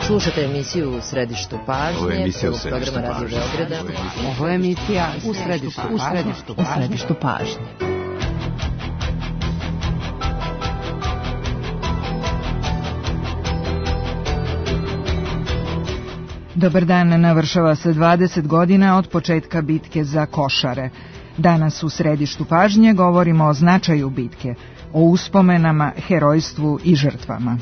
Slušate emisiju U središtu pažnje, programa Radio Beograda. Ovo je emisija U središtu pažnje. Dobar dan, navršava se 20 godina od početka bitke za Košare. Danas u središtu pažnje govorimo o značaju bitke, o uspomenama, herojstvu i žrtvama.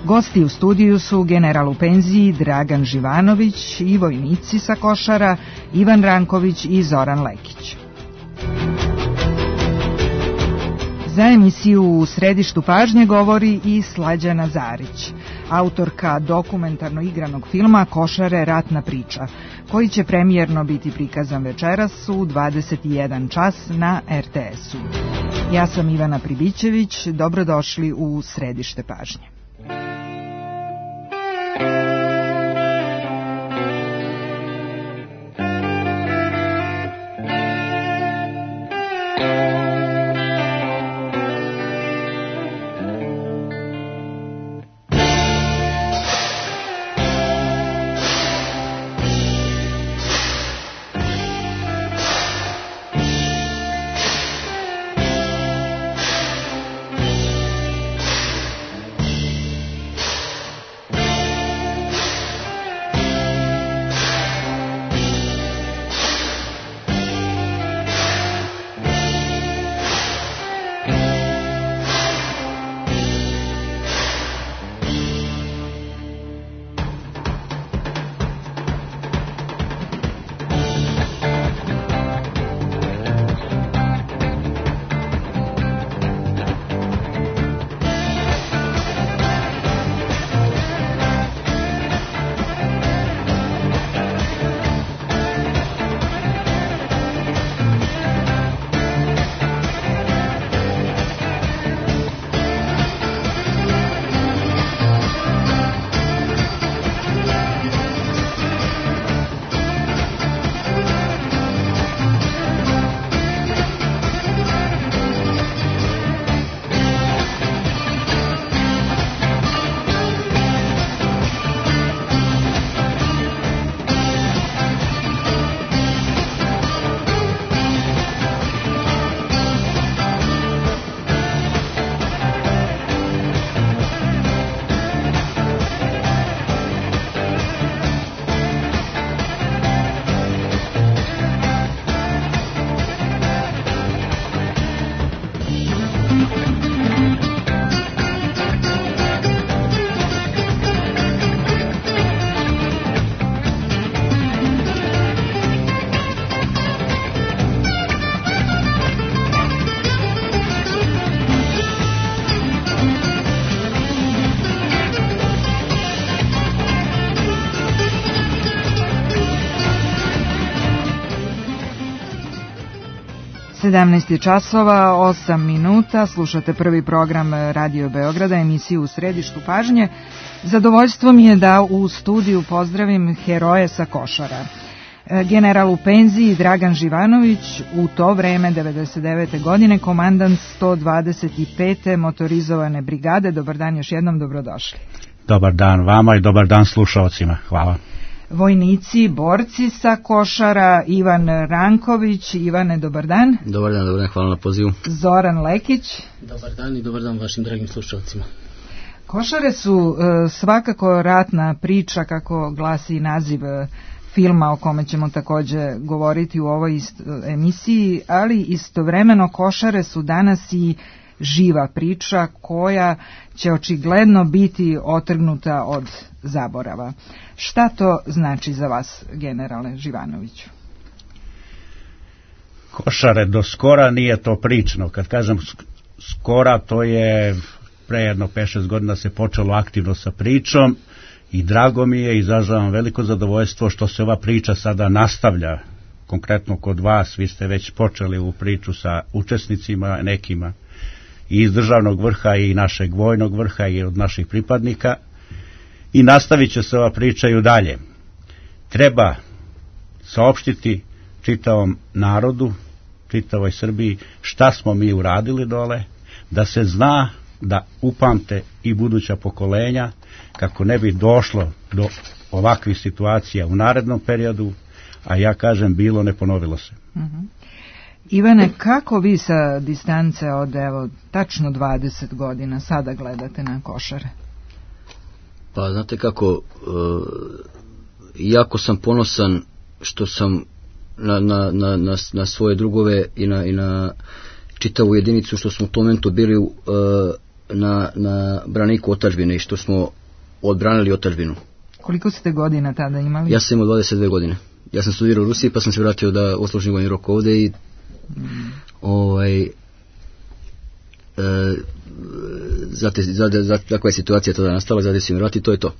Gosti u studiju su general u penziji Dragan Živanović i vojnici sa Košara Ivan Ranković i Zoran Lekić. Za emisiju U središtu pažnje govori i Slađana Zarić, autorka dokumentarno igranog filma Košare, ratna priča, koji će premijerno biti prikazan večeras u 21 čas na RTS-u. Ja sam Ivana Pribićević, dobrodošli u središte pažnje. časova, 8 minuta, slušate prvi program Radio Beograda, emisiju U središtu pažnje. Zadovoljstvo mi je da u studiju pozdravim heroje sa Košara. General u penziji Dragan Živanović, u to vreme 99. godine komandant 125. motorizovane brigade. Dobar dan, još jednom dobrodošli. Dobar dan vama i dobar dan slušalcima. Hvala. Vojnici, borci sa Košara, Ivan Ranković. Ivane, dobar dan. Dobar dan, hvala na pozivu. Zoran Lekić. Dobar dan i dobar dan vašim dragim slušalcima. Košare su svakako ratna priča, kako glasi naziv filma o kome ćemo također govoriti u ovoj emisiji, ali istovremeno Košare su danas i živa priča koja će očigledno biti otrgnuta od zaborava. Šta to znači za vas, generale Živanoviću? Košare do skora nije to prično. Kad kažem skora, to je pre jedno 5-6 godina se počelo aktivno sa pričom i drago mi je, izražavam veliko zadovoljstvo što se ova priča sada nastavlja. Konkretno kod vas, vi ste već počeli u priču sa učesnicima nekima i iz državnog vrha i našeg vojnog vrha i od naših pripadnika, i nastavit će se ova priča i dalje. Treba saopštiti čitavom narodu, čitavoj Srbiji šta smo mi uradili dole, da se zna da upamte i buduća pokolenja, kako ne bi došlo do ovakvih situacija u narednom periodu, a ja kažem bilo ne ponovilo se. Ivane, kako vi sa distance od tačno 20 godina sada gledate na Košare? Pa znate kako, jako sam ponosan što sam na svoje drugove i na čitavu jedinicu što smo u tom momentu bili na braniku otadžbine i što smo odbranili otadžbinu. Koliko ste godina tada imali? Ja sam imao 22 godine. Ja sam studirao u Rusiji pa sam se vratio da odslužim vojni rok ovde i takva je situacija tada nastala, zato sam vratio i to je to.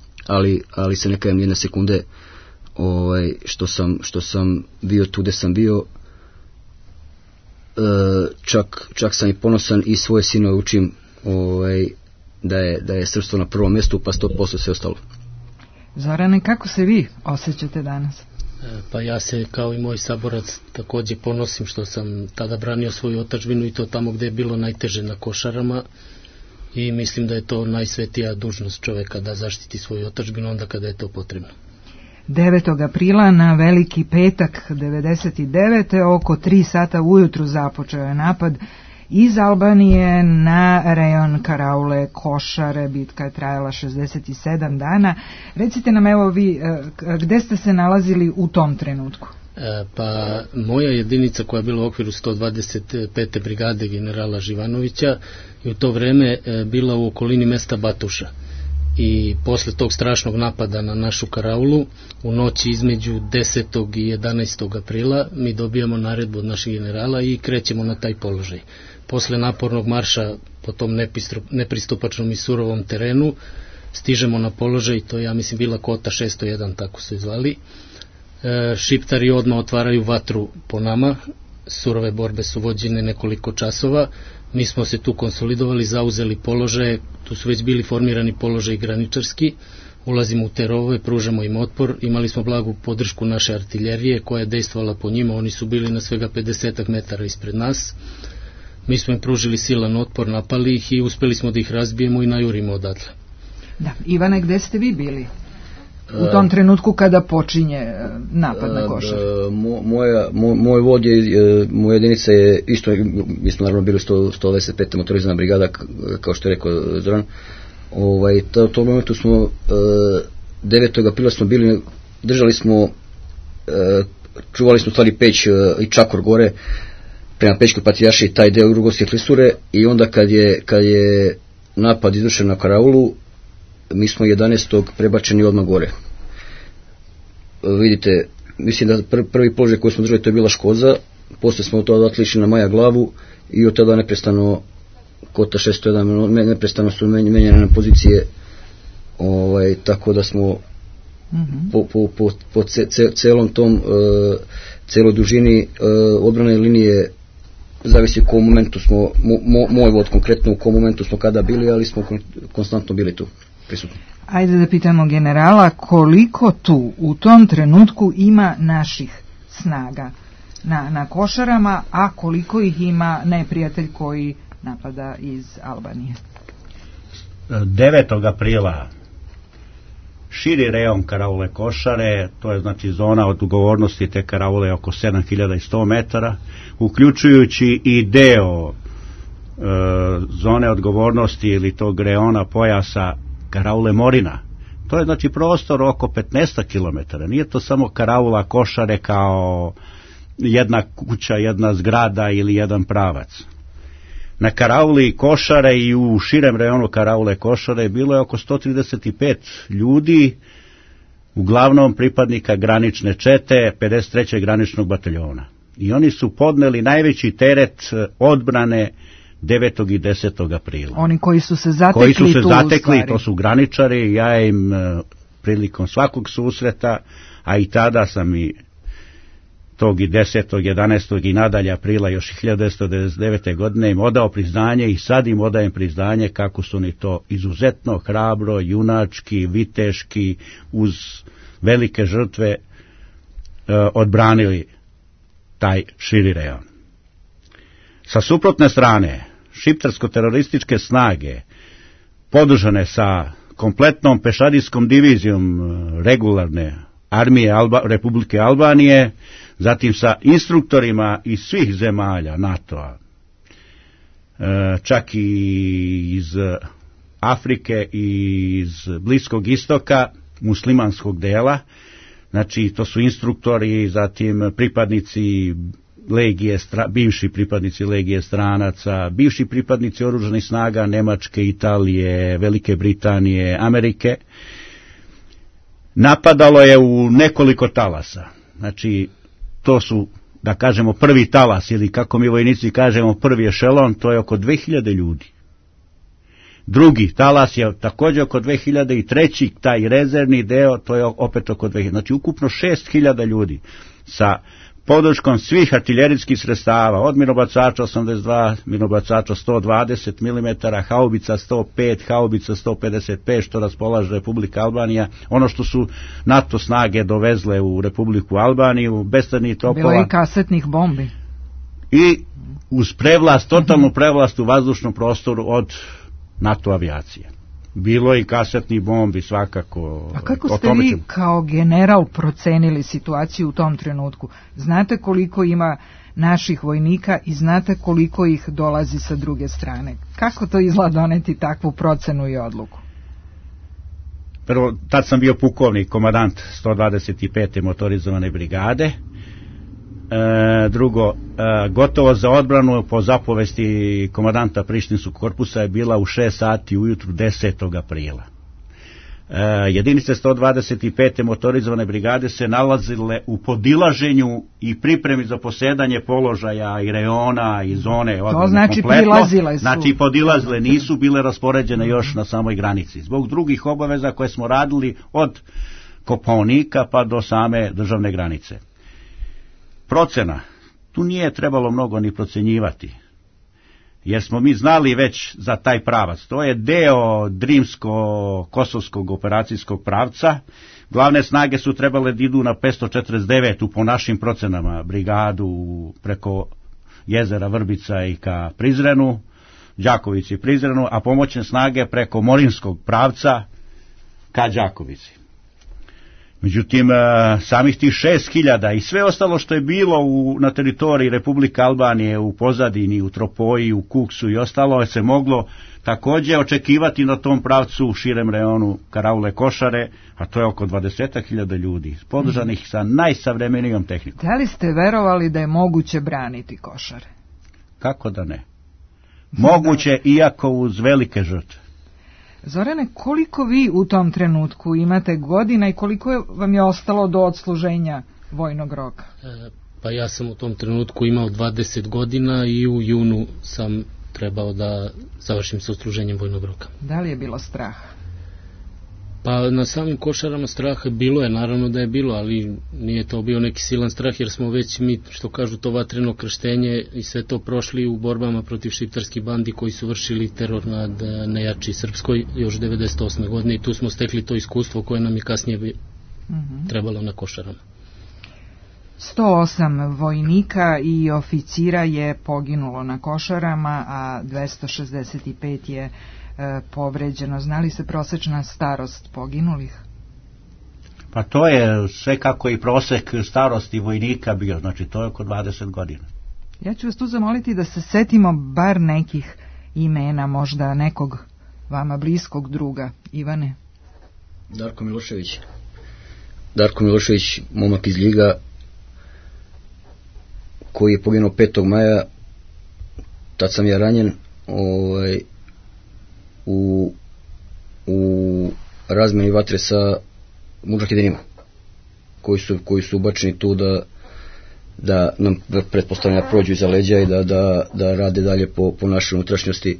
Ali se ne kajem jedne sekunde što sam bio tu gde sam bio. Čak sam i ponosan i svoje sinove učim da je srpstvo na prvom mjestu, pa 100% sve ostalo. Zorane, kako se vi osjećate danas? Pa ja se kao i moj saborac također ponosim što sam tada branio svoju otadžbinu i to tamo gdje je bilo najteže na Košarama i mislim da je to najsvetija dužnost čoveka da zaštiti svoju otadžbinu onda kada je to potrebno. 9. aprila na Veliki petak 99. oko 3 sata ujutru započeo je napad iz Albanije na rejon Karaule Košare. Bitka je trajala 67 dana. Recite nam evo vi, gde ste se nalazili u tom trenutku? Pa moja jedinica koja je bila u okviru 125. brigade generala Živanovića je u to vreme bila u okolini mesta Batuša. I posle tog strašnog napada na našu Karaulu u noći između 10. i 11. aprila mi dobijamo naredbu od naših generala i krećemo na taj položaj. Posle napornog marša po tom nepristupačnom i surovom terenu stižemo na položaj, to je ja mislim bila Kota 601, tako su zvali. Šiptari odmah otvaraju vatru po nama, surove borbe su vođene nekoliko časova. Mi smo se tu konsolidovali, zauzeli položaje, tu su već bili formirani položaji graničarski, ulazimo u te rovove, pružamo im otpor, imali smo blagu podršku naše artiljerije koja je dejstvovala po njima, oni su bili na svega 50 metara ispred nas, mi smo im pružili silan otpor, napali ih i uspeli smo da ih razbijemo i najurimo odatle. Da, Ivane, gde ste vi bili u tom trenutku kada počinje napad na Košar? Moj vod je, moja jedinica je isto, mi smo naravno bili 125. motorizana brigada, kao što je rekao Zoran. U tom momentu smo 9. aprila smo bili, držali smo, čuvali smo stvari Peć i Čakor gore prema Pećkoj Patrijaršiji, taj deo Jugoslije Klisure, i onda kad je napad izvršen na Karaulu, mi smo 11. prebačeni odmah gore. Vidite, mislim da prvi položaj koji smo držali to je bila Škoza, posle smo od toga otišli na Maja Glavu i od tada neprestano Kota 601, neprestano su menjene na pozicije, tako da smo po celom tom celoj dužini odbrane linije, zavisi u kom momentu smo, moj vod konkretno u kom momentu smo kada bili, ali smo konstantno bili tu prisutni. Ajde da pitamo generala koliko tu u tom trenutku ima naših snaga na Košarama, a koliko ih ima neprijatelj koji napada iz Albanije. 9. aprila širi rejon Karaule Košare, to je znači zona odgovornosti te Karaule oko 7100 metara, uključujući i deo zone odgovornosti ili tog reona pojasa Karaule Morina. To je znači prostor oko 15 km. Nije to samo Karaula Košare kao jedna kuća, jedna zgrada ili jedan pravac. Na Karauli Košare i u širem rejonu Karaule Košare bilo je oko 135 ljudi, uglavnom pripadnika granične čete 53. graničnog bataljona. I oni su podneli najveći teret odbrane 9. i 10. aprila. Oni koji su se zatekli, to su graničari, ja im prilikom svakog susreta, a i tada sam i tog i 10. 11. i nadalje aprila još 1999. godine im odao priznanje i sad im odajem priznanje kako su oni to izuzetno hrabro, junački, viteški, uz velike žrtve odbranili taj širi rejon. Sa suprotne strane, šiptarsko-terorističke snage podržane sa kompletnom pešadijskom divizijom regularne armije Republike Albanije, zatim sa instruktorima iz svih zemalja NATO-a, čak i iz Afrike i iz Bliskog istoka, muslimanskog dela, znači to su instruktori, zatim pripadnici legije, bivši pripadnici legije stranaca, bivši pripadnici oružanih snaga Nemačke, Italije, Velike Britanije, Amerike. Napadalo je u nekoliko talasa. Znači, to su, da kažemo, prvi talas, ili kako mi vojnici kažemo, prvi ešelon, to je oko 2000 ljudi. Drugi talas je također oko 2000 i treći, taj rezervni deo, to je opet oko 2000. Znači, ukupno 6000 ljudi sa podrškom svih artiljerijskih sredstava, od minobacača 82, minobacača 120 mm, haubica 105, haubica 155, što raspolaže Republika Albanija, ono što su NATO snage dovezle u Republiku Albaniju, bestarnih topova. Bilo i kasetnih bombi. I uz prevlast, totalnu prevlast u vazdušnom prostoru od NATO avijacije. Bilo i kasetnih bombi svakako. A kako ste vi kao general procenili situaciju u tom trenutku? Znate koliko ima naših vojnika i znate koliko ih dolazi sa druge strane? Kako to izgleda doneti takvu procenu i odluku? Prvo, tad sam bio pukovnik, komandant 125. motorizovane brigade. Drugo, gotovo za odbranu po zapovesti komandanta Prištinskog korpusa je bila u 6 sati ujutru 10. aprila. Jedinice 125. motorizovane brigade se nalazile u podilaženju i pripremi za posedanje položaja i reona i zone odbrane. To znači kompletno. prilazile su. Znači podilazile, nisu bile raspoređene još na samoj granici. Zbog drugih obaveza koje smo radili od Kopaonika pa do same državne granice. Procena, tu nije trebalo mnogo ni procenjivati, jer smo mi znali već za taj pravac. To je deo Drimsko-Kosovskog operacijskog pravca. Glavne snage su trebale da idu na 549 po našim procenama brigadu preko jezera Vrbica i ka Prizrenu, Đakovici i Prizrenu, a pomoćne snage preko Morinskog pravca ka Đakovici. Međutim, samih tih 6000 i sve ostalo što je bilo na teritoriji Republike Albanije, u pozadini, u Tropoji, u Kuksu i ostalo, se moglo također očekivati na tom pravcu u širem reonu Karaule Košare, a to je oko 20.000 ljudi, podržanih sa najsavremenijom tehnikom. Da li ste verovali da je moguće braniti Košare? Kako da ne? Moguće, iako uz velike žrtve. Zorane, koliko vi u tom trenutku imate godina i koliko vam je ostalo do odsluženja vojnog roka? Pa ja sam u tom trenutku imao 20 godina i u junu sam trebao da završim sa odsluženjem vojnog roka. Da li je bilo straha? Pa na samim Košarama straha bilo je, naravno da je bilo, ali nije to bio neki silan strah, jer smo već mi, što kažu, to vatreno krštenje i sve to prošli u borbama protiv šiptarskih bandi koji su vršili teror nad nejači Srpskoj još 98. godine i tu smo stekli to iskustvo koje nam je kasnije trebalo na Košarama. 108 vojnika i oficira je poginulo na Košarama, a 265 je povređeno. Znali se prosečna starost poginulih? Pa to je sve kako i prosek starosti vojnika bio, znači to je oko 20 godina. Ja ću vas tu zamoliti da se setimo bar nekih imena, možda nekog vama bliskog druga. Ivane? Darko Milošević, momak iz Ljiga, koji je poginuo 5. maja, tad sam ja ranjen, u razmeni vatre sa mudžahedinima koji su ubačeni tu da nam pretpostavljeno prođu iza leđa i da rade dalje po našoj unutrašnjosti,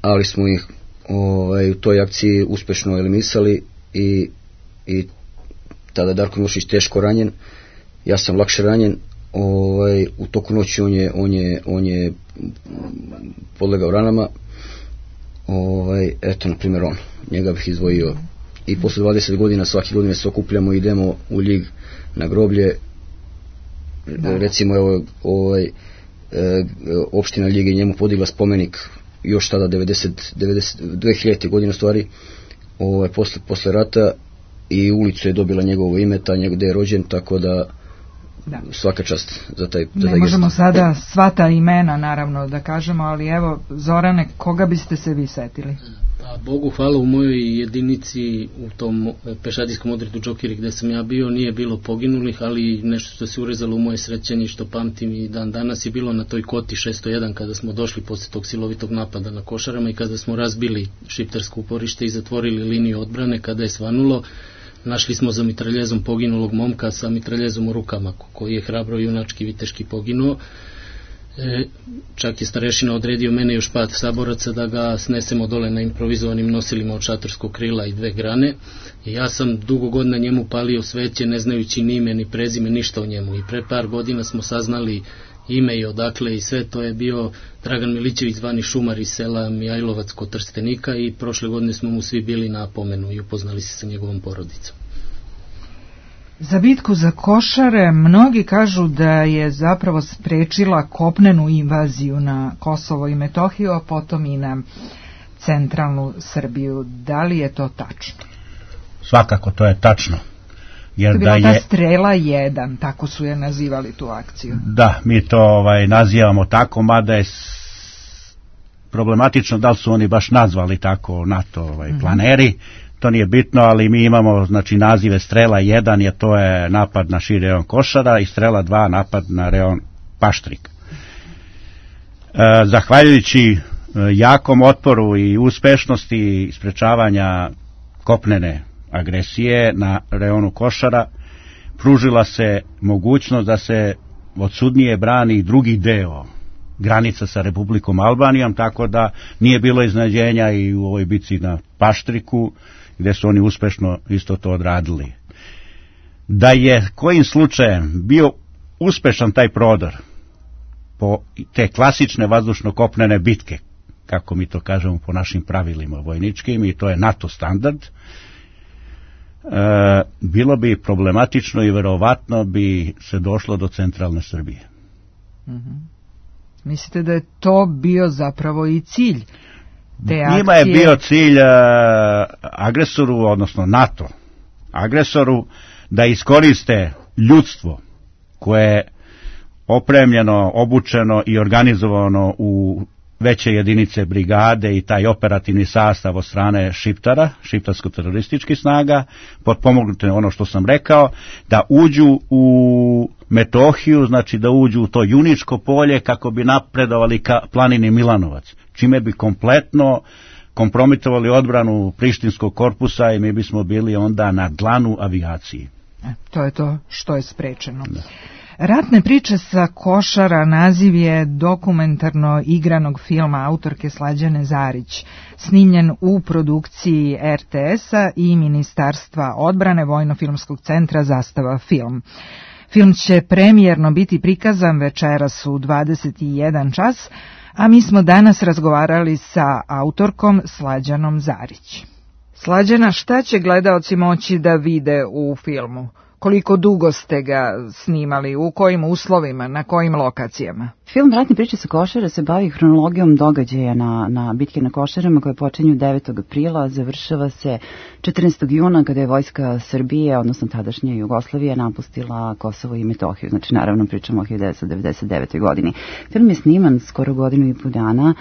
ali smo ih u toj akciji uspešno eliminisali i tada je Darko Milošević teško ranjen, ja sam lakše ranjen. U toku noći on je podlegao ranama. Eto, na primjer, njega bih izdvojio. I posle 20 godina svake godine se okupljamo i idemo u Ljig na groblje. Recimo, opština Ljig je njemu podigla spomenik još tada 2000. godine u stvari, posle rata, i ulicu je dobila njegovo ime, gde je rođen, tako da svaka čast za taj ne možemo sada sva ta imena naravno da kažemo, ali evo Zorane, koga biste se vi setili? Pa Bogu hvala, u mojoj jedinici u tom pešadijskom odredu Džokiri gde sam ja bio nije bilo poginulih, ali nešto što se urezalo u moje srećenje što pamtim i dan danas je bilo na toj koti 601 kada smo došli posle tog silovitog napada na Košarama i kada smo razbili šiptarsko uporište i zatvorili liniju odbrane. Kada je svanulo, našli smo za mitraljezom poginulog momka sa mitraljezom u rukama, koji je hrabro junački viteški poginuo. Čak je starešina odredio mene još 5 saboraca da ga snesemo dole na improvizovanim nosilima od šatorskog krila i 2 grane. I ja sam dugo godina njemu palio sveće, ne znajući ni ime ni prezime, ništa o njemu. I pre par godina smo saznali ime i odakle i sve. To je bio Dragan Milićević, zvani Šumar iz sela Mijajlovac kod Trstenika, i prošle godine smo mu svi bili na pomenu i upoznali se sa njegovom porodicom. Za bitku za Košare mnogi kažu da je zapravo sprečila kopnenu invaziju na Kosovo i Metohiju, a potom i na centralnu Srbiju. Da li je to tačno? Svakako to je tačno. Jer to je bila ta strela 1, tako su je nazivali tu akciju. Da, mi to nazivamo tako, mada je problematično da li su oni baš nazvali tako NATO planeri. To nije bitno, ali mi imamo nazive strela 1, jer to je napad na širi rejon Košara, i strela 2 napad na rejon Paštrik. Zahvaljujući jakom otporu i uspešnosti sprečavanja kopnene agresije na reonu Košara, pružila se mogućnost da se odsudnije brani i drugi deo granica sa Republikom Albanijom, tako da nije bilo iznenađenja i u ovoj bitci na Paštriku, gde su oni uspešno isto to odradili. Da je kojim slučajem bio uspešan taj prodor po te klasične vazdušno-kopnene bitke, kako mi to kažemo po našim pravilima vojničkim, i to je NATO standard, bilo bi problematično i verovatno bi se došlo do centralne Srbije. Mislite da je to bio zapravo i cilj te akcije? Njima je bio cilj agresoru, odnosno NATO agresoru, da iskoriste ljudstvo koje je opremljeno, obučeno i organizovano u veće jedinice brigade i taj operativni sastav od strane Šiptara, šiptarsko-terorističkih snaga, potpomognute ono što sam rekao, da uđu u Metohiju, znači da uđu u to Juničko polje kako bi napredovali ka planini Milanovac, čime bi kompletno kompromitovali odbranu Prištinskog korpusa i mi bismo bili onda na dlanu avijaciji. To je to što je sprečeno. Da. Ratne priče sa Košara naziv je dokumentarno igranog filma autorke Slađane Zarić, snimljen u produkciji RTS-a i Ministarstva odbrane Vojno-filmskog centra Zastava film. Film će premijerno biti prikazan večeras u 21 čas, a mi smo danas razgovarali sa autorkom Slađanom Zarić. Slađana, šta će gledaoci moći da vide u filmu? Koliko dugo ste ga snimali, u kojim uslovima, na kojim lokacijama? Film Ratne priče sa Košara se bavi hronologijom događaja na bitke na Košarama koje počinju 9. aprila, završava se 14. juna kada je vojska Srbije, odnosno tadašnje Jugoslavije, napustila Kosovo i Metohiju. Znači, naravno, pričamo o 1999. godini. Film je sniman skoro 1,5 godine.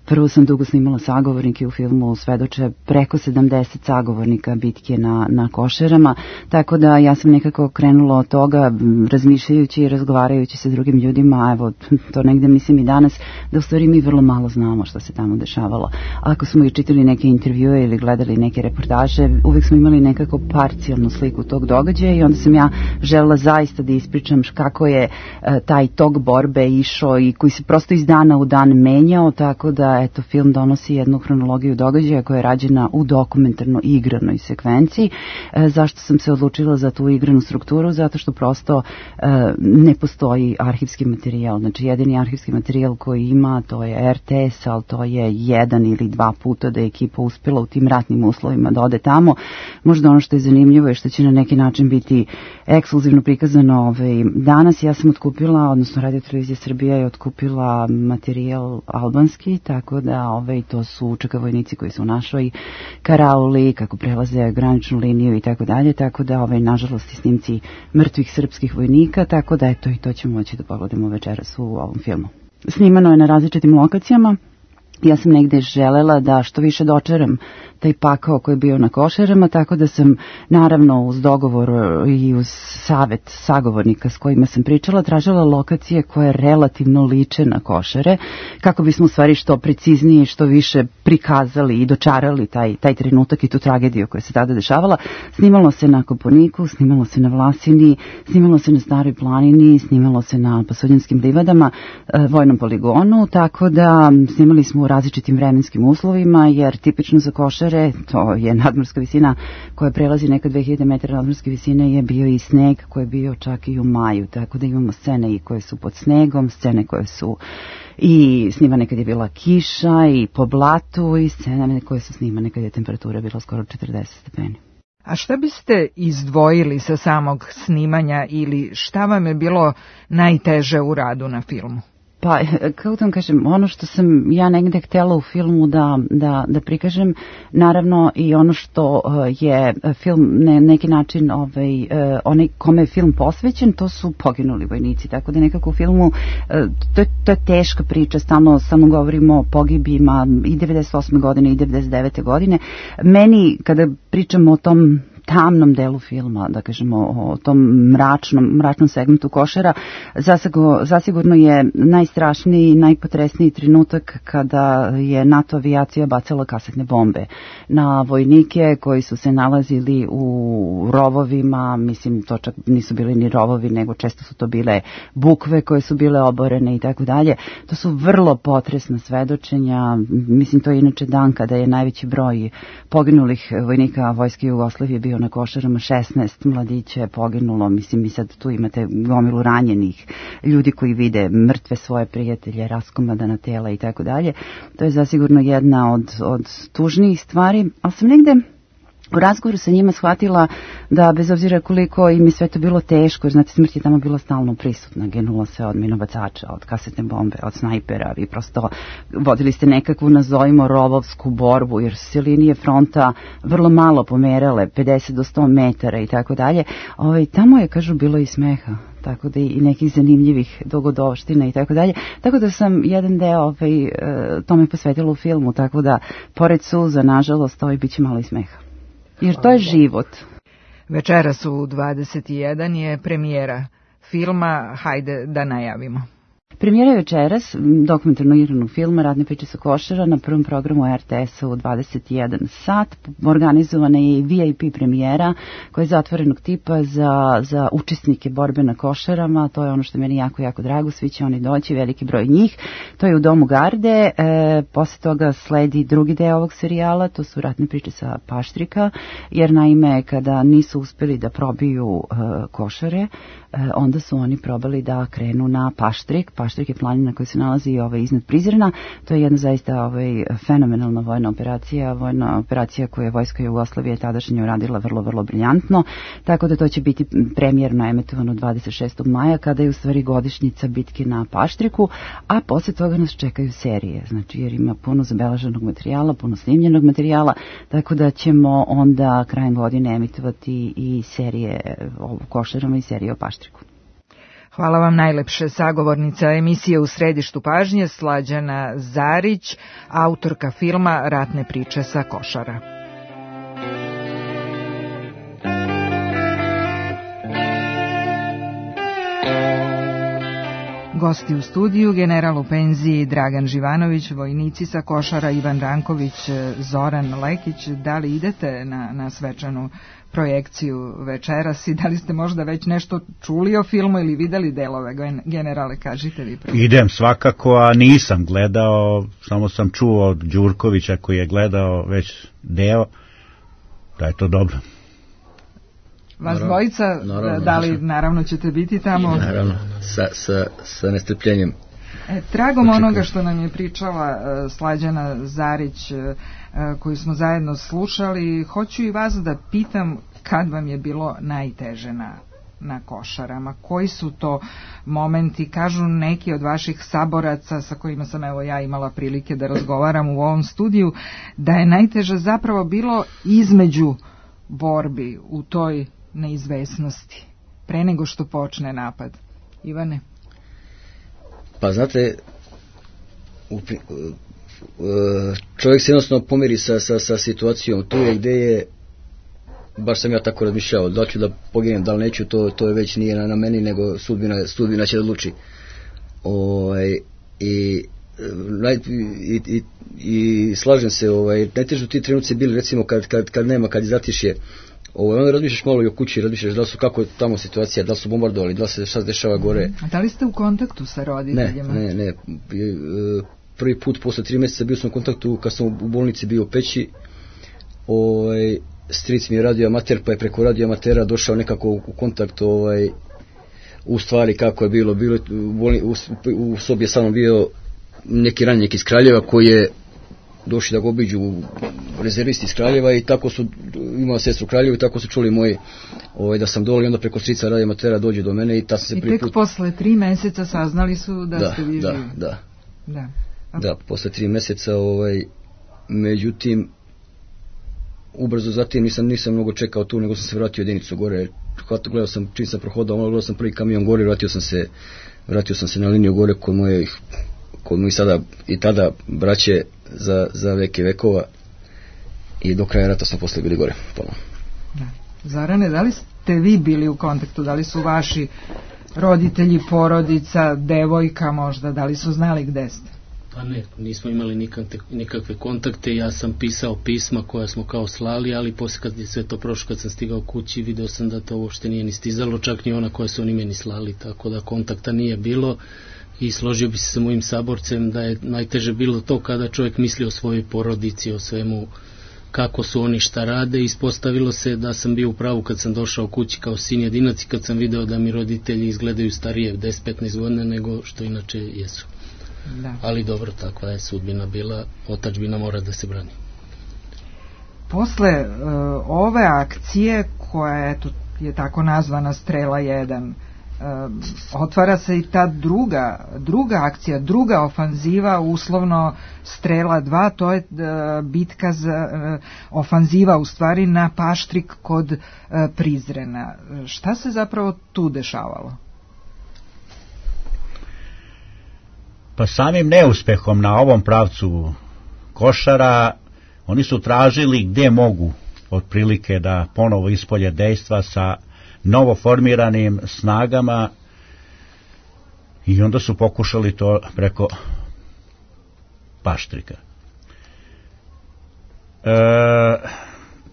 Prvo sam dugo snimala sagovornike, u filmu svedoče preko 70 sagovornika bitke na Košarama, tako da ja sam nekako krenula od toga razmišljajući i razgovarajući sa drugim ljudima, evo to negde mislim i danas, da u stvari mi vrlo malo znamo što se tamo dešavalo. Ako smo i čitali neke intervjue ili gledali neke reportaže, uvek smo imali nekako parcijalnu sliku tog događaja i onda sam ja želela zaista da ispričam kako je taj tok borbe išao i koji se prosto iz dana u dan menjao, tako da eto, film donosi jednu hronologiju događaja koja je rađena u dokumentarno igranoj sekvenciji. Zašto sam se odlučila za tu igranu strukturu? Zato što prosto ne postoji arhivski materijal materijal, znači jedini arhivski materijal koji ima to je RTS, ali to je 1 ili 2 puta da je ekipa uspjela u tim ratnim uslovima da ode tamo. Možda ono što je zanimljivo je što će na neki način biti ekskluzivno prikazano danas. Ja sam otkupila, odnosno Radio Televizija Srbija je otkupila materijal albanski, tako da to su čeka vojnici koji su u našoj karauli, kako prelaze graničnu liniju i tako dalje, tako da nažalost i snimci mrtvih srpskih vojnika, tako da eto i to ćemo moći da pogledamo večeras u ovom filmu. Snimano je na različitim lokacijama. Ja sam negde želela da što više dočeram taj pakao koji je bio na Košarama, tako da sam naravno uz dogovor i uz savet sagovornika s kojima sam pričala, tražila lokacije koje relativno liče na Košare, kako bismo u stvari što preciznije, što više prikazali i dočarali taj trenutak i tu tragediju koja se tada dešavala. Snimalo se na Kopaoniku, snimalo se na Vlasini, snimalo se na Staroj planini, snimalo se na Pasuljanskim livadama, vojnom poligonu, tako da snimali smo u različitim vremenskim uslovima, jer tipično za Košare, to je nadmorska visina koja prelazi neka 2000 metara nadmorske visine, je bio i sneg koji je bio čak i u maju, tako da imamo scene i koje su pod snegom, scene koje su i snimane kad je bila kiša i po blatu i scene koje su snimane kad je temperatura bila skoro 40 stepeni. A šta biste izdvojili sa samog snimanja ili šta vam je bilo najteže u radu na filmu? Pa, kako da vam kažem, ono što sam ja negde htjela u filmu da prikažem, naravno i ono što je film na neki način, onaj kome je film posvećen, to su poginuli vojnici, tako da nekako u filmu, to je teška priča, stalno govorimo o pogibima i 98. godine i 99. godine. Meni, kada pričamo o tom tamnom delu filma, da kažemo o tom mračnom segmentu Košara, zasigurno je najstrašniji, najpotresniji trenutak kada je NATO avijacija bacala kasetne bombe na vojnike koji su se nalazili u rovovima, mislim to čak nisu bili ni rovovi, nego često su to bile bukve koje su bile oborene i tako dalje. To su vrlo potresna svedočenja, mislim to je inače dan kada je najveći broj poginulih vojnika Vojske Jugoslavije bio na Košarama, 16 mladića je poginulo, mislim i sad tu imate gomilu ranjenih ljudi koji vide mrtve svoje prijatelje, raskomadana tela i tako dalje. To je zasigurno jedna od tužnijih stvari, ali sam negde u razgovoru sa njima shvatila da bez obzira koliko im je sve to bilo teško, jer znate, smrt je tamo bila stalno prisutna, ginulo se od minobacača, od kasetne bombe, od snajpera, vi prosto vodili ste nekakvu, nazovimo, rovovsku borbu, jer su se linije fronta vrlo malo pomerale, 50 do 100 metara i tako dalje. Tamo je, kažu, bilo i smeha, tako da i nekih zanimljivih dogodovština i tako dalje. Tako da sam jedan deo tome posvetila u filmu, tako da pored suza, nažalost, bit će malo i smeha. Jer to je život. Večeras u 21 je premijera filma, hajde da najavimo. Premijera je večeras dokumentarno igranog filma Ratne priče sa Košara na prvom programu RTS-a u 21 sat. Organizovana je i VIP premijera koja je zatvorenog tipa za učesnike borbe na Košarama. To je ono što je meni jako, jako drago. Svi će oni doći, veliki broj njih. To je u Domu Garde. Posle toga sledi drugi deo ovog serijala, to su Ratne priče sa Paštrika, jer naime kada nisu uspeli da probiju Košare, onda su oni probali da krenu na Paštrik. Paštrik je planina koja se nalazi iznad Prizrena. To je jedna zaista fenomenalna vojna operacija koju je Vojska Jugoslavije tadašnje uradila vrlo, vrlo briljantno. Tako da to će biti premijerno emitovano 26. maja, kada je u stvari godišnjica bitke na Paštriku, a posle toga nas čekaju serije. Znači, jer ima puno zabeleženog materijala, puno snimljenog materijala, tako da ćemo onda krajem godine emitovati i serije o Košarama i serije o Paštriku. Hvala vam najlepše. Sagovornica emisije U središtu pažnje Slađana Zarić, autorka filma Ratne priče sa Košara. Gosti u studiju, general u penziji Dragan Živanović, vojnici sa Košara Ivan Ranković, Zoran Lekić. Da li idete na svečanu projekciju večeras i da li ste možda već nešto čuli o filmu ili videli delove, generale, kažite vi prvo. Idem svakako, a nisam gledao, samo sam čuo od Đurkovića koji je gledao već deo, da je to dobro. Vas dvojica, da li naravno ćete biti tamo? Naravno, sa nestrpljenjem. Tragom onoga što nam je pričala Slađana Zarić, koju smo zajedno slušali, hoću i vas da pitam kad vam je bilo najteže na Košarama. Koji su to momenti? Kažu neki od vaših saboraca sa kojima sam evo ja imala prilike da razgovaram u ovom studiju, da je najteže zapravo bilo između borbi u toj neizvesnosti, pre nego što počne napad. Ivane? Pa znate, čovjek se jednostavno pomiri sa situacijom. Tu je gdje je, baš sam ja tako razmišljao, da ću da poginem, da li neću, to je već nije na meni, nego sudbina će da odluči. I slažem se, najteže ti trenuci bili, recimo kad nema, kad izatišje, onda razmišljaš malo i o kući, razmišljaš da li su, kako je tamo situacija, da li su bombardovali, da li se šta se dešava gore. A da li ste u kontaktu sa roditeljima? Ne. Prvi put posle 3 mjeseca bio sam u kontaktu kad sam u bolnici bio u Peći. Stric mi je radio amater, pa je preko radio amatera došao nekako u kontakt u stvari kako je bilo u sobi je samo bio neki ranjenik iz Kraljeva koji je došli da ga obiđu rezervisti iz Kraljeva i tako su, imao sestru u Kraljevu i tako su čuli moji da sam dole i onda preko strica radio amatera dođe do mene i ta sam se prvi put... I tek posle 3 meseca saznali su da ste vi živi. Da, posle 3 meseca, međutim ubrzo zatim nisam mnogo čekao tu, nego sam se vratio jedinicu gore. Gledao sam, čim sam prohodao, gledao sam prvi kamion gore, vratio sam se na liniju gore kod mojih sada i tada braće za veke vekova i do kraja rata smo posle bili gore ponovno. Zarane, da li ste vi bili u kontaktu, da li su vaši roditelji, porodica, devojka možda, da li su znali gde ste? Pa ne, nismo imali nikakve kontakte, ja sam pisao pisma koja smo kao slali, ali poslije kad je sve to prošlo, kad sam stigao kući, video sam da to uopšte nije ni stizalo, čak ni ona koja su oni meni slali, tako da kontakta nije bilo i složio bi se sa mojim saborcem da je najteže bilo to kada čovjek misli o svojoj porodici, o svemu, kako su oni šta rade. Ispostavilo se da sam bio u pravu kad sam došao kući kao sin jedinac i kad sam video da mi roditelji izgledaju starije 10-15 godina nego što inače jesu. Da. Ali dobro, takva je sudbina bila, otadžbina mora da se brani. Posle ove akcije koja je tako nazvana Strela 1, otvara se i ta druga akcija, druga ofanziva, uslovno Strela 2, to je bitka ofanziva u stvari na Paštrik kod Prizrena. Šta se zapravo tu dešavalo? Pa samim neuspehom na ovom pravcu Košara oni su tražili gdje mogu otprilike da ponovo ispolje dejstva sa novoformiranim snagama i onda su pokušali to preko Paštrika.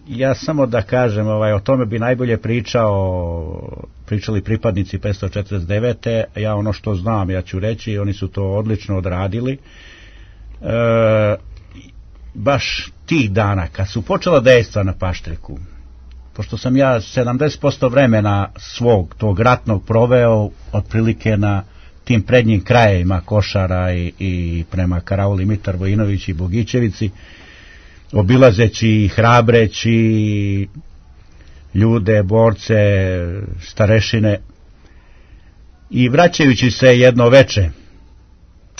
Ja samo da kažem, o tome bi najbolje pričali pripadnici 549. Ja ono što znam, ja ću reći, oni su to odlično odradili. Baš tih dana, kad su počela dejstva na Paštriku, pošto sam ja 70% vremena svog tog ratnog proveo otprilike na tim prednjim krajevima Košara i prema Karauli, Mitar Vojinović i Bogićevici, obilazeći, hrabreći ljude, borce, starešine i vraćajući se jedno veče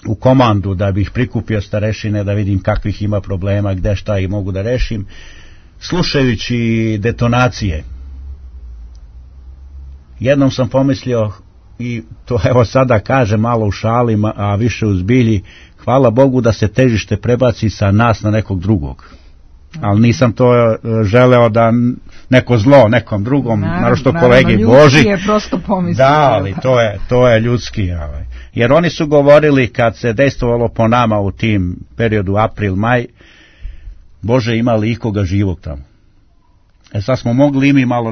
u komandu da bih prikupio starešine, da vidim kakvih ima problema, gde šta i mogu da rešim, slušajući detonacije. Jednom sam pomislio, i to evo sada kažem malo u šali, a više u zbilji, hvala Bogu da se težište prebaci sa nas na nekog drugog. Ali nisam to želeo da neko zlo nekom drugom, naročito kolegi Boži. Je prosto pomislio. Da, ali to je ljudski. Jer oni su govorili kad se dejstvovalo po nama u tim periodu april-maj, Bože, ima li ikoga živog tamo? Sad smo mogli i mi malo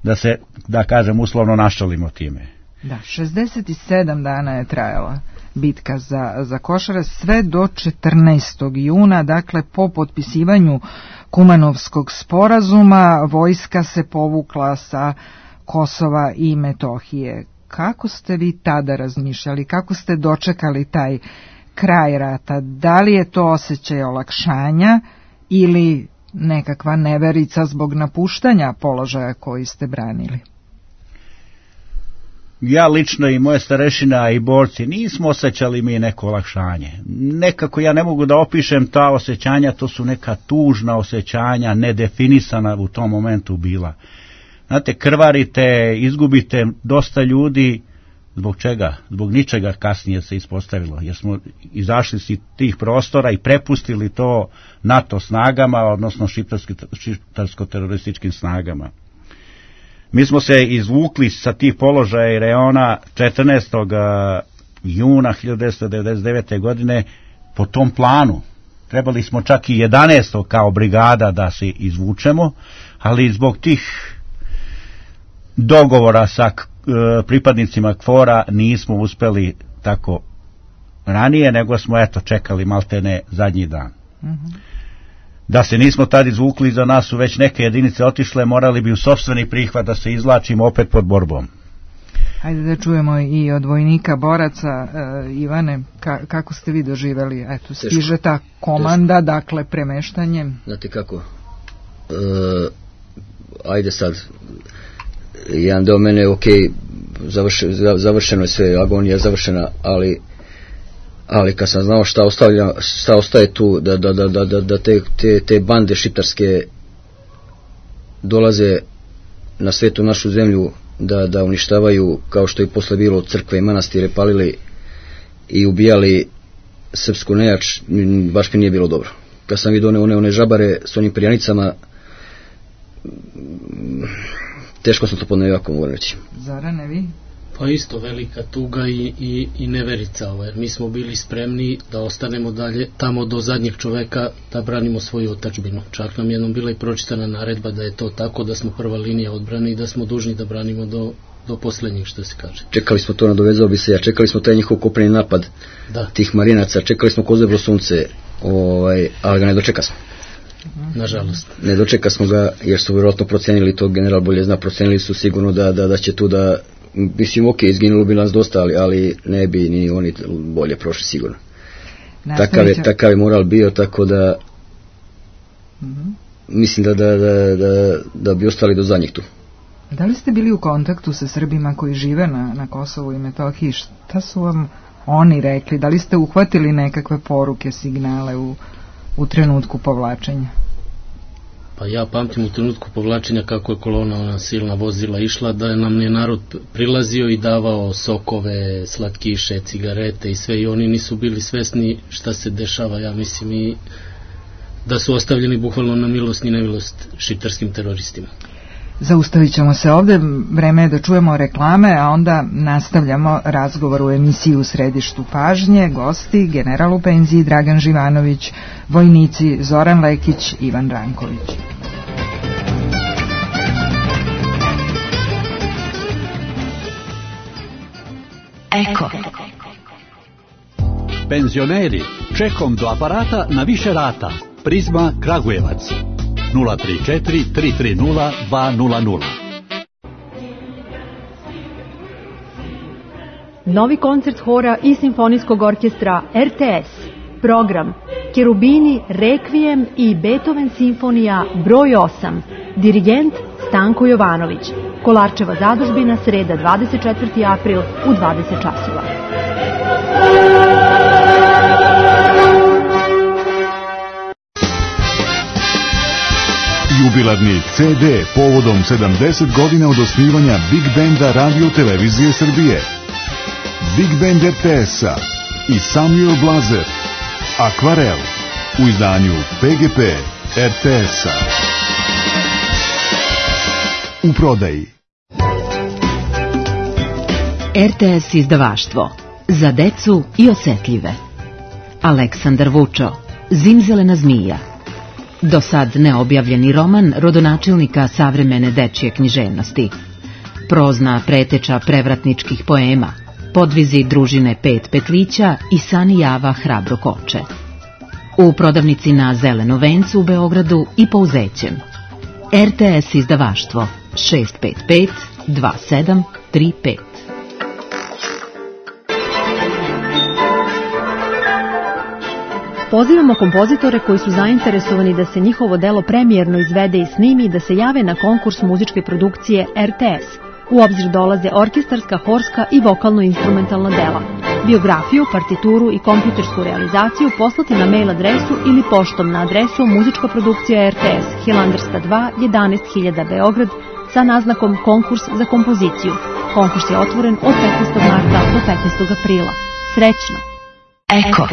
da se, da kažem, uslovno našalimo time. Da, 67 dana je trajala bitka za Košare, sve do 14. juna, dakle po potpisivanju Kumanovskog sporazuma vojska se povukla sa Kosova i Metohije. Kako ste vi tada razmišljali, kako ste dočekali taj kraj rata? Da li je to osjećaj olakšanja ili nekakva neverica zbog napuštanja položaja koji ste branili? Ja lično i moje starešina i borci nismo osjećali mi neko olakšanje. Nekako ja ne mogu da opišem ta osjećanja, to su neka tužna osjećanja, nedefinisana u tom momentu bila. Znate, krvarite, izgubite dosta ljudi, zbog čega? Zbog ničega kasnije se ispostavilo, jer smo izašli iz tih prostora i prepustili to NATO snagama, odnosno šiptarsko-terorističkim snagama. Mi smo se izvukli sa tih položaja i reona 14. juna 1999. godine po tom planu. Trebali smo čak i 11. kao brigada da se izvučemo, ali zbog tih dogovora sa pripadnicima KFOR-a nismo uspeli tako ranije, nego smo čekali maltene zadnji dan. Da se nismo tad izvukli, za nas su već neke jedinice otišle, morali bi u sopstveni prihvat da se izvlačimo opet pod borbom. Hajde da čujemo i od vojnika boraca. Ivane, kako ste vi doživjeli? Eto, stiže ta komanda, dakle premeštanjem. Znate kako, ajde sad, jedan deo mene, ok, završeno je sve, agonija završena, ali kad sam znao šta ostaje tu, da te bande šiptarske dolaze na svetu našu zemlju, da uništavaju, kao što je posle bilo, crkve i manastire palili i ubijali srpsku nejač, baš mi nije bilo dobro. Kad sam vidio one žabare s onim perjanicama, teško sam to podneo, jako mogu reći. Zorane, vi? Pa isto velika tuga i neverica, jer mi smo bili spremni da ostanemo dalje tamo do zadnjeg čoveka da branimo svoju otadžbinu. Čak nam jednom bila i pročitana naredba da je to tako, da smo prva linija odbrane i da smo dužni da branimo do poslednjeg, što se kaže. Čekali smo to, nadovezao bi se ja, čekali smo taj njihov kopneni napad tih marinaca, čekali smo kozebro sunce, ali ga ne dočeka smo. Nažalost. Ne dočeka smo ga, jer su vjerojatno procenili, to general bolje zna, procenili su sigurno da će tu da, mislim, ok, izginulo bi nas dosta, ali ne bi ni oni bolje prošli sigurno. Takav je moral bio, tako da mislim da bi ostali do zadnjih tu. Da li ste bili u kontaktu sa Srbima koji žive na Kosovu i Metohiji? Šta su vam oni rekli? Da li ste uhvatili nekakve poruke, signale u trenutku povlačenja? Pa ja pamtim u trenutku povlačenja kako je kolona, ona silna vozila išla, da nam je narod prilazio i davao sokove, slatkiše, cigarete i sve, i oni nisu bili svesni šta se dešava, ja mislim, i da su ostavljeni bukvalno na milost i nemilost šiptarskim teroristima. Zaustavit ćemo se ovde, vreme je da čujemo reklame, a onda nastavljamo razgovor u emisiji U središtu pažnje. Gosti, general u penziji Dragan Živanović, vojnici Zoran Lekić, Ivan Ranković. Eko. Penzioneri, čekom do aparata na više rata. Prizma Kragujevac. 034 330 200. Novi koncert hora i simfonijskog orkestra RTS. Program Kerubini, Rekvijem i Beethoven simfonija broj 8. Dirigent Stanko Jovanović. Kolarčeva zadužbina, sreda 24. april u 20 časova. Jubilarni CD povodom 70 godina od osnivanja Big Benda Radio Televizije Srbije. Big Band RTS-a i Samuel Blazer, Akvarel, u izdanju PGP RTS-a. U prodaji. RTS izdavaštvo. Za decu i osetljive. Aleksandar Vučo, Zimzelena zmija. Do sad neobjavljeni roman rodonačelnika savremene dečje književnosti. Prozna preteča prevratničkih poema, podvizi družine Pet Petlića i Sani Java Hrabro Koče. u prodavnici na Zelenom vencu u Beogradu i Pouzećem. RTS izdavaštvo 655 2735. Pozivamo kompozitore koji su zainteresovani da se njihovo delo premijerno izvede i snimi da se jave na konkurs muzičke produkcije RTS. U obzir dolaze orkestarska, horska i vokalno-instrumentalna dela. Biografiju, partituru i kompjutersku realizaciju poslati na mail adresu ili poštom na adresu muzička produkcija RTS, Hilandarska 2, 11.000 Beograd, sa naznakom konkurs za kompoziciju. Konkurs je otvoren od 15. marta do 15. aprila. Srećno! Eko.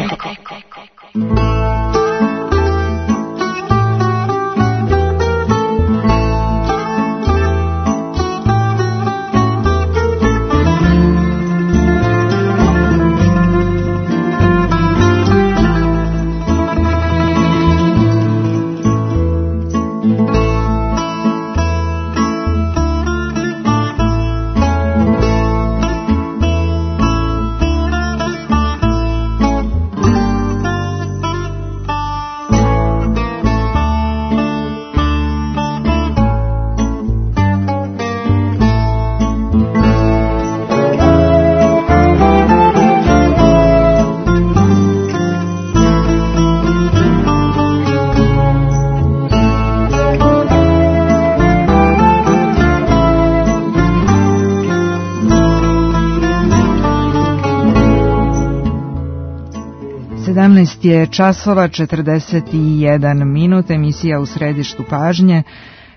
Je časova 41 minut, emisija u središtu pažnje.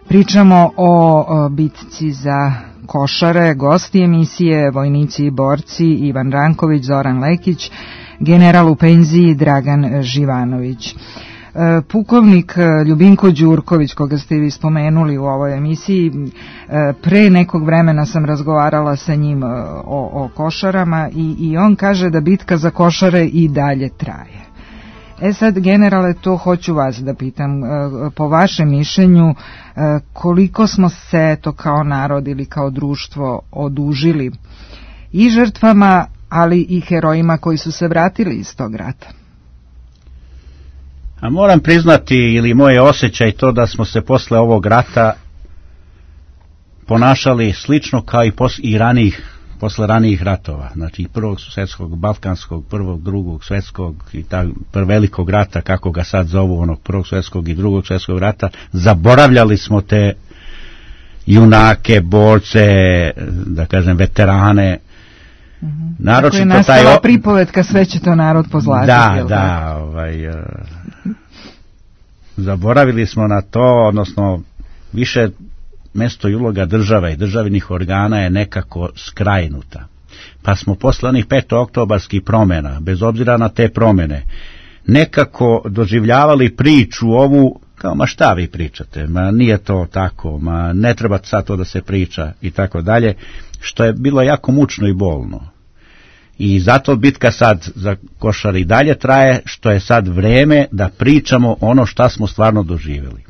Pričamo o bitci za Košare, gosti emisije, vojnici i borci Ivan Ranković, Zoran Lekić, general u penziji Dragan Živanović. Pukovnik Ljubinko Đurković, koga ste vi spomenuli u ovoj emisiji, pre nekog vremena sam razgovarala sa njim o Košarama i on kaže da bitka za Košare i dalje traje. Sad, generale, to hoću vas da pitam, po vašem mišljenju, koliko smo se to kao narod ili kao društvo odužili i žrtvama, ali i herojima koji su se vratili iz tog rata? A moram priznati, ili moje osjećaj to da smo se posle ovog rata ponašali slično kao i posle ranijih ratova, znači prvog svjetskog, balkanskog, prvog, drugog svjetskog i velikog rata, kako ga sad zovu, onog prvog svjetskog i drugog svjetskog rata. Zaboravljali smo te junake, borce, da kažem veterane. Tako je nastala pripovetka Sve će to narod pozlatiti. Da, zaboravili smo na to, odnosno više mesto i uloga države i državnih organa je nekako skrajnuta. Pa smo posle onih 5. oktobarskih promjena, bez obzira na te promjene, nekako doživljavali priču ovu kao, ma šta vi pričate, ma nije to tako, ma ne treba sad to da se priča i tako dalje, što je bilo jako mučno i bolno. I zato bitka sad za Košare i dalje traje, što je sad vreme da pričamo ono šta smo stvarno doživjeli.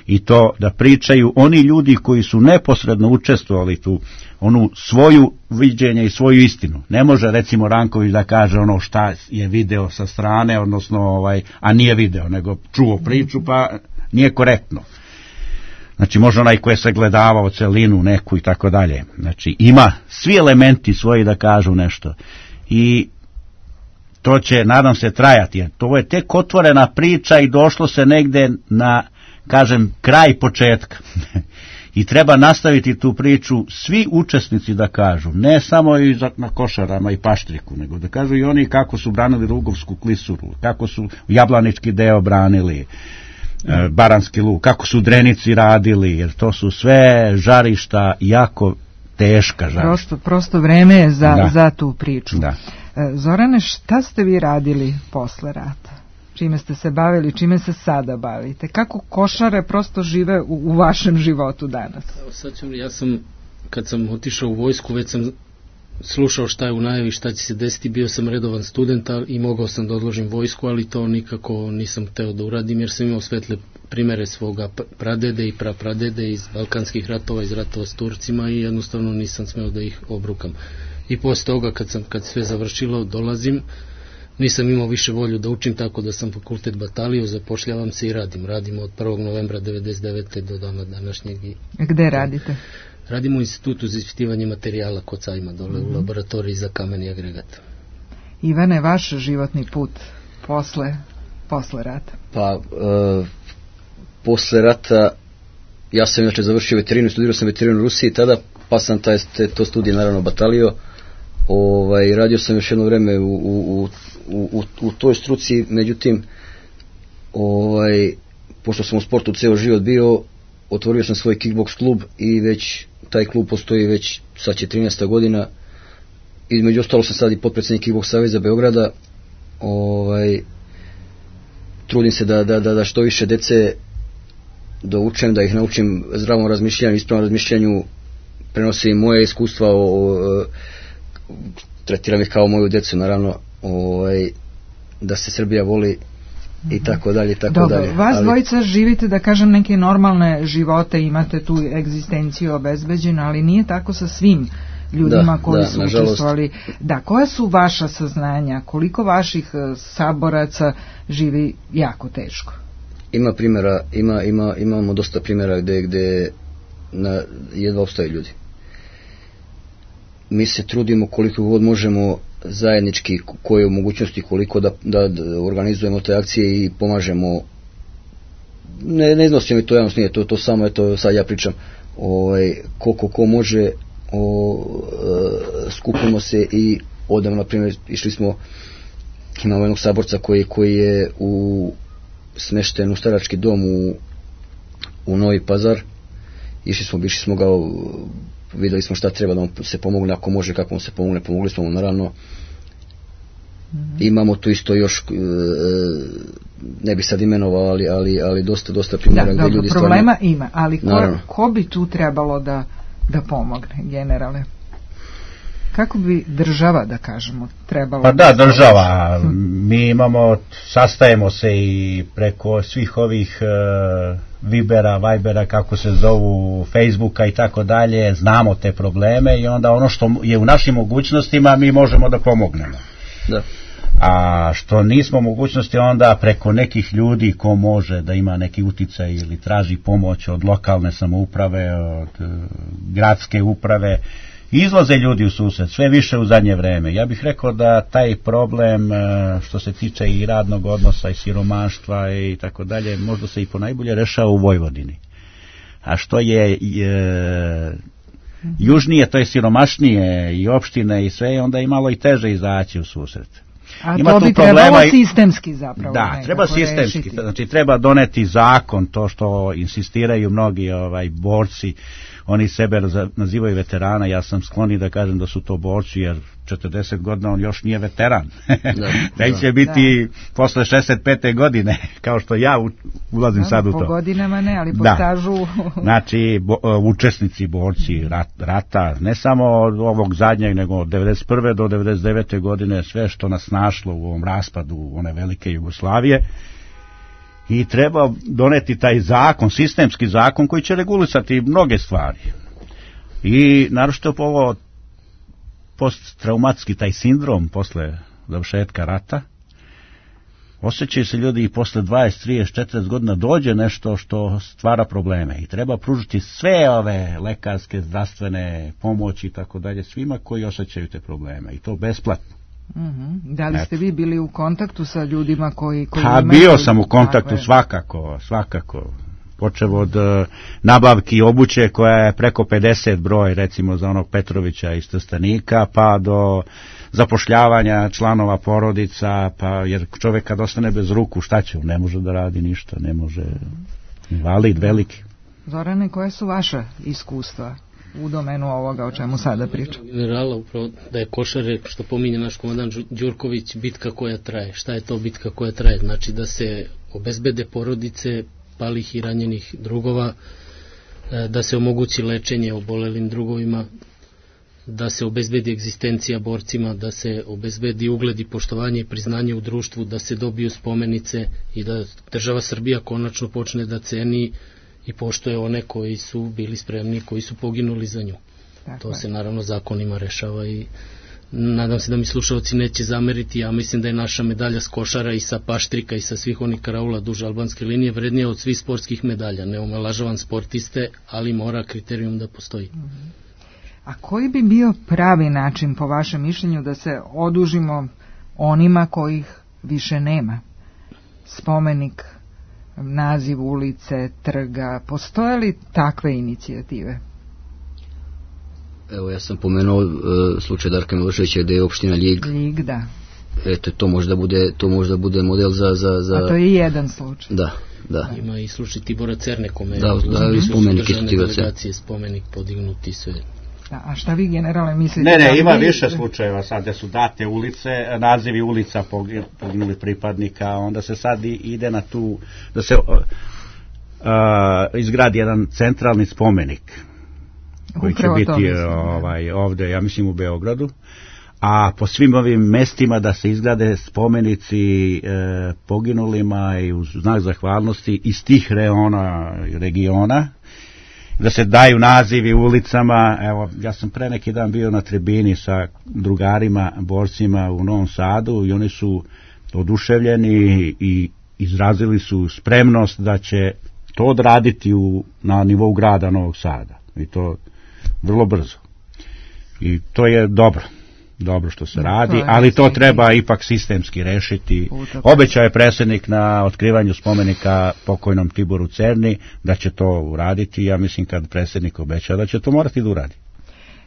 I to da pričaju oni ljudi koji su neposredno učestvovali tu, onu svoju viđenje i svoju istinu. Ne može recimo Ranković da kaže ono šta je video sa strane, odnosno a nije video, nego čuo priču pa nije korektno. Znači može onaj koji je sagledavao celinu neku i tako dalje. Znači ima svi elementi svoji da kažu nešto. I to će, nadam se, trajati. Jer to je tek otvorena priča i došlo se negde na, kažem, kraj početka. I treba nastaviti tu priču, svi učesnici da kažu, ne samo i na Košarama i Paštriku, nego da kažu i oni kako su branili Rugovsku klisuru, kako su Jablanički deo branili, Baranski luk, kako su Drenici radili, jer to su sve žarišta jako teška žarišta. Prosto vreme je za tu priču. Da. Zorane, šta ste vi radili posle rata? Čime ste se bavili, čime se sada bavite? Kako Košare prosto žive u vašem životu danas? Ja sam, kad sam otišao u vojsku, već sam slušao šta je u najavi, šta će se desiti, bio sam redovan student i mogao sam da odložim vojsku, ali to nikako nisam hteo da uradim, jer sam imao svetle primere svoga pradede i prapradede iz balkanskih ratova, iz ratova s Turcima i jednostavno nisam smeo da ih obrukam. I posle toga, kad sve završilo, dolazim nisam imao više volju da učim, tako da sam fakultet batalio, zapošljavam se i radimo od 1. novembra 1999. do dana današnjeg. Gde radite? Radimo u Institutu za ispitivanje materijala kod Cajma, dole u laboratoriji za kamen i agregat. Ivane, vaš životni put posle rata? Pa, posle rata ja sam inače završio veterinu, studirao sam veterinu u Rusiji tada, pa sam to studije naravno batalio. Radio sam još jedno vreme u toj struci, međutim pošto sam u sportu ceo život bio, otvorio sam svoj kickboks klub i već taj klub postoji već sad će 13. godina. Između ostalo sam sad i potpredsjednik Kickboks saveza Beograda. Trudim se da što više dece doučem, da ih naučim zdravom razmišljanju, ispravnom razmišljanju, prenosim moje iskustva, tretiram ih kao moju decu, naravno, da se Srbija voli i tako dalje, tako dalje. Dobro, vas dvojica živite, da kažem, neke normalne živote, imate tu egzistenciju obezbeđenu, ali nije tako sa svim ljudima koji su učestvovali. Da, koja su vaša saznanja? Koliko vaših saboraca živi jako teško? Ima primjera, imamo dosta primjera gde jedva ostaju ljudi. Mi se trudimo koliko god možemo zajednički, koje u mogućnosti, koliko da organizujemo te akcije i pomažemo. Ne iznosim mi to javnost, nije to samo, eto sad ja pričam, koliko ko može, skupimo se i odemo, na primjer, išli smo, imamo jednog saborca koji je smešten u starački dom u Novi Pazar. Išli smo ga, videli smo šta treba da mu se pomogne, ako može, kako mu se pomogne, pomogli smo mu, naravno. Imamo tu isto još, ne bi sad imenovao, ali dosta primjera gdje ljudi stvarno... Problema ima, ali ko bi tu trebalo da pomogne, generale? Kako bi država, da kažemo, trebalo... Pa da, država. Mi sastajemo se i preko svih ovih Vibera, kako se zovu, Facebooka i tako dalje, znamo te probleme i onda ono što je u našim mogućnostima mi možemo da pomognemo. Da. A što nismo mogućnosti, onda preko nekih ljudi ko može da ima neki uticaj ili traži pomoć od lokalne samouprave, od gradske uprave, izlaze ljudi u susret, sve više u zadnje vreme. Ja bih rekao da taj problem što se tiče i radnog odnosa i siromaštva i tako dalje, možda se i ponajbolje rešava u Vojvodini. A što je južnije, to je siromašnije i opštine i sve, onda je malo i teže izaći u susret. A ima to bi trebalo sistemski zapravo. Da, treba sistemski, rešiti. Znači treba doneti zakon, to što insistiraju mnogi borci, oni sebe nazivaju veterana, ja sam skloni da kažem da su to borci, jer 40 godina on još nije veteran. Da će biti posle 65. godine, kao što ja ulazim sad u to. Po godinama ne, ali po stažu... Znači, učesnici, borci rata, ne samo od ovog zadnjeg, nego od 91. do 99. godine, sve što nas našlo u ovom raspadu one velike Jugoslavije, i treba doneti taj zakon, sistemski zakon koji će regulisati mnoge stvari. I naročito ovo posttraumatski taj sindrom posle završetka rata, osjećaju se ljudi i posle 20, 30, 40 godina dođe nešto što stvara probleme i treba pružiti sve ove lekarske, zdravstvene pomoći i tako dalje svima koji osjećaju te probleme i to besplatno. Da li ste vi bili u kontaktu sa ljudima koji bio sam u kontaktu, svakako. Počev od nabavki obuće koja je preko 50 broj, recimo za onog Petrovića iz Trstenika, pa do zapošljavanja članova porodica, pa jer čovjek kad ostane bez ruku, šta će? Ne može da radi ništa, ne može, invalid veliki. Zorane, koje su vaše iskustva u domenu ovoga o čemu sada pričam? Generala, upravo da je Košare, što pominje naš komandant Đurković, bitka koja traje. Šta je to bitka koja traje? Znači da se obezbede porodice palih i ranjenih drugova, da se omogući lečenje obolelim drugovima, da se obezbedi egzistencija borcima, da se obezbedi ugled i poštovanje i priznanje u društvu, da se dobiju spomenice i da država Srbija konačno počne da ceni i poštuje one koji su bili spremni, koji su poginuli za nju. To se naravno zakonima rešava i nadam se da mi slušalci neće zameriti, ja mislim da je naša medalja s Košara i sa Paštrika i sa svih onih karaula duž albanske linije vrednija od svih sportskih medalja. Ne omalažavam sportiste, ali mora kriterijum da postoji. A koji bi bio pravi način, po vašem mišljenju, da se odužimo onima kojih više nema? Spomenik, naziv ulice, trga, postoje li takve inicijative? Evo, ja sam pomenuo slučaj Darka Miloševića gde je opština Ljig, da. Eto, to možda bude model za... A to je jedan slučaj. Da. Ima i slučaj Tibora Cerne, kome da, spomenik isto Tibora Cerne. Spomenik podignuti sve. Da, a šta vi generalno mislite? Ne, ima više slučajeva sad gde su date ulice, nazivi ulica poginuli pripadnika, onda se sad ide na tu, da se izgradi jedan centralni spomenik koji će biti ovde, ja mislim u Beogradu, a po svim ovim mestima da se izgrade spomenici poginulima i u znak zahvalnosti iz tih regiona, da se daju nazivi ulicama. Evo, ja sam pre neki dan bio na tribini sa drugarima, borcima u Novom Sadu i oni su oduševljeni i izrazili su spremnost da će to odraditi na nivou grada Novog Sada. I to vrlo brzo. I to je dobro što se radi, ali to treba ipak sistemski rešiti. Obećao je predsjednik na otkrivanju spomenika pokojnom Tiboru Cerni da će to uraditi. Ja mislim kad predsjednik obeća da će to morati da uradi.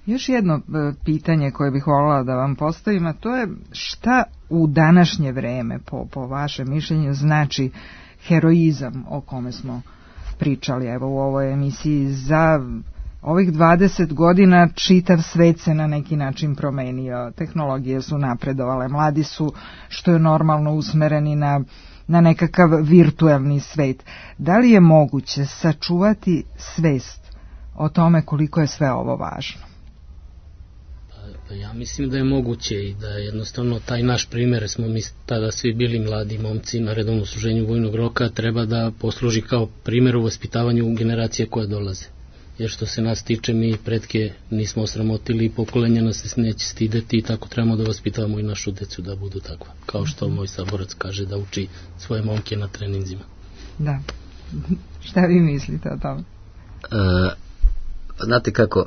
Još jedno pitanje koje bih voljela da vam postavim, a to je šta u današnje vreme, po vašem mišljenju, znači heroizam o kome smo pričali evo u ovoj emisiji. Za ovih 20 godina čitav svet se na neki način promenio, tehnologije su napredovale, mladi su, što je normalno, usmereni na nekakav virtuelni svet. Da li je moguće sačuvati svest o tome koliko je sve ovo važno? Ja mislim da je moguće i da jednostavno taj naš primjer, smo mi tada svi bili mladi momci na redovnom služenju vojnog roka, treba da posluži kao primjer u vaspitavanju generacije koje dolaze. Jer što se nas tiče, mi pretke nismo osramotili i pokolenja nas se neće stideti i tako trebamo da vaspitavamo i našu decu da budu takva. Kao što moj saborac kaže da uči svoje momke na treninzima. Da. Šta vi mislite o tome? Znate kako,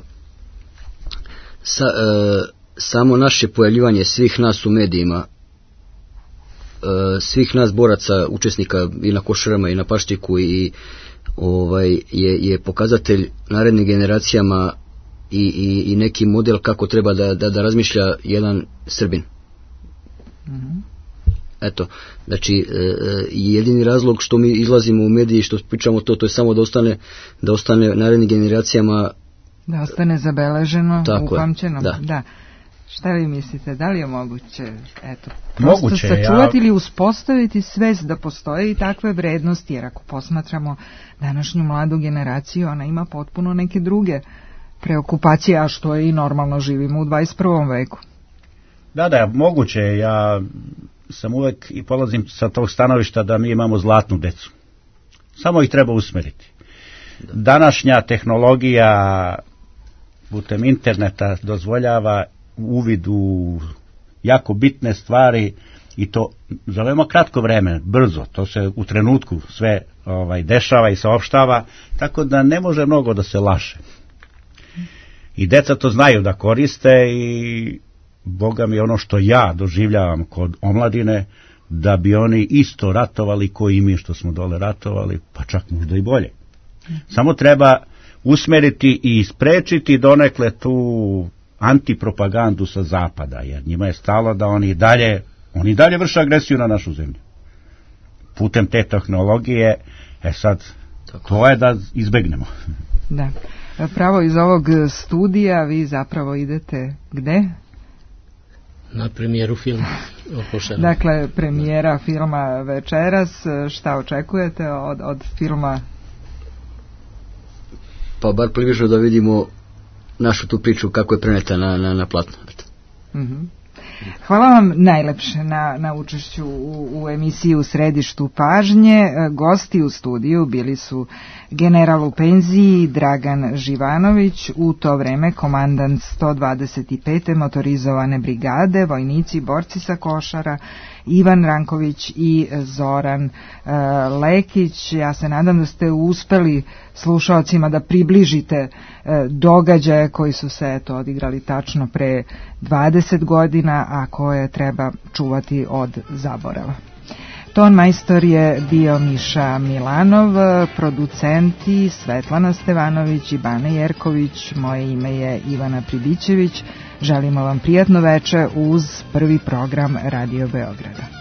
samo naše pojavljivanje svih nas u medijima, svih nas boraca, učesnika i na Košarama i na Paštriku i je pokazatelj narednim generacijama i neki model kako treba da razmišlja jedan Srbin. Eto, znači jedini razlog što mi izlazimo u mediji, što pričamo to je samo da ostane narednim generacijama, da ostane zabeleženo, upamćeno. Da. Šta vi mislite, da li je moguće, eto, moguće, sačuvati ili uspostaviti svest da postoje i takve vrednosti, jer ako posmatramo današnju mladu generaciju, ona ima potpuno neke druge preokupacije, a što je i normalno, živimo u 21. veku. Da, moguće, ja sam uvek i polazim sa tog stanovišta da mi imamo zlatnu decu. Samo ih treba usmeriti. Današnja tehnologija putem interneta dozvoljava uvid u jako bitne stvari i to za veoma kratko vreme, brzo, to se u trenutku sve dešava i saopštava, tako da ne može mnogo da se laže. I deca to znaju da koriste i Boga mi ono što ja doživljavam kod omladine, da bi oni isto ratovali koji mi što smo dole ratovali, pa čak možda i bolje. Samo treba usmeriti i sprečiti donekle tu antipropagandu sa zapada, jer njima je stalo da oni dalje vrše agresiju na našu zemlju. Putem te tehnologije, sad, to je da izbegnemo. Da. Pravo iz ovog studija vi zapravo idete gde? Na premijeru filma o Košarama. Dakle, premijera filma večeras, šta očekujete od filma? Pa bar približno da vidimo našu tu priču kako je preneta na platno. Hvala vam najlepše na učešću u emisiji U središtu pažnje. Gosti u studiju bili su general u penziji Dragan Živanović, u to vreme komandant 125. motorizovane brigade, vojnici, borci sa Košara, Ivan Ranković i Zoran Lekić. Ja se nadam da ste uspeli slušaocima da približite događaje koji su se odigrali tačno pre 20 godina, a koje treba čuvati od zaborava. Ton majstor je bio Miša Milanov, producenti Svetlana Stevanović i Bane Jerković, moje ime je Ivana Pribićević. Želimo vam prijatno veče uz prvi program Radio Beograda.